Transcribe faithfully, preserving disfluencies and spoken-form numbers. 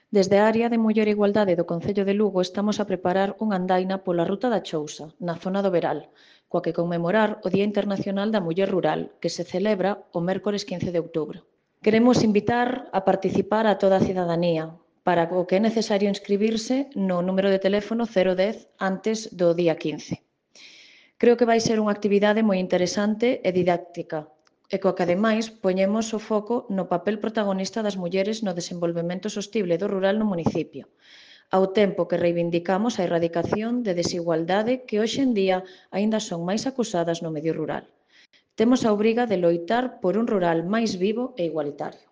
Desde a área de Muller e Igualdade do Concello de Lugo estamos a preparar unha andaina pola Ruta da Chousa, na zona do Veral, coa que conmemorar o Día Internacional da Muller Rural, que se celebra o mércores quince de outubro. Queremos invitar a participar a toda a cidadanía, para o que é necesario inscribirse no número de teléfono cero dez antes do día quince. Creo que vai ser unha actividade moi interesante e didáctica, e coa que, ademais, poñemos o foco no papel protagonista das mulleres no desenvolvemento sostible do rural no municipio, ao tempo que reivindicamos a erradicación de desigualdade que hoxe en día aínda son máis acusadas no medio rural. Temos a obriga de loitar por un rural máis vivo e igualitario.